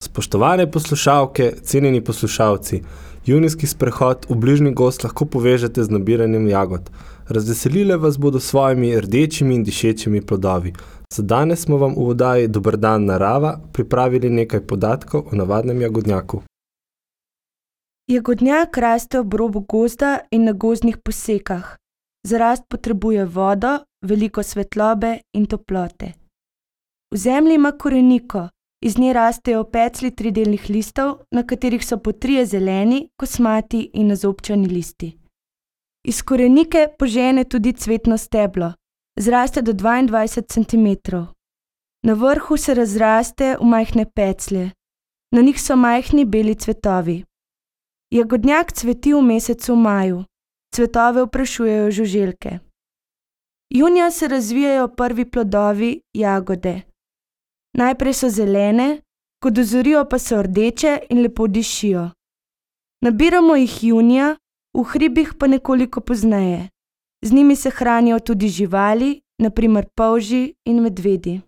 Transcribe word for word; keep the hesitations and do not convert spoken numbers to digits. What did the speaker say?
Spoštovane poslušalke, cenjeni poslušalci, junijski sprehod v bližnji gozd lahko povežete z nabiranjem jagod. Razveselile vas bodo s svojimi rdečimi in dišečimi plodovi. Za danes smo vam v oddaji Dober dan, narava pripravili nekaj podatkov o navadnem jagodnjaku. Jagodnjak raste ob robu gozda in na gozdnih posekah. Za rast potrebuje vodo, veliko svetlobe in toplote. V zemlji ima koreniko, iz nje rastejo peclji tridelnih listov, na katerih so po trije zeleni, kosmati in nazobčani listi. Iz korenike požene tudi cvetno steblo, zraste do dvaindvajset centimetrov. Na vrhu se razraste v majhne peclje, na njih so majhni beli cvetovi. Jagodnjak cveti v mesecu maju, cvetove oprašujejo žuželke. Junija se razvijajo prvi plodovi, jagode. Najprej so zelene, ko dozorijo pa so rdeče in lepo dišijo. Nabiramo jih junija, v hribih pa nekoliko pozneje. Z njimi se hranijo tudi živali, na primer polži in medvedi.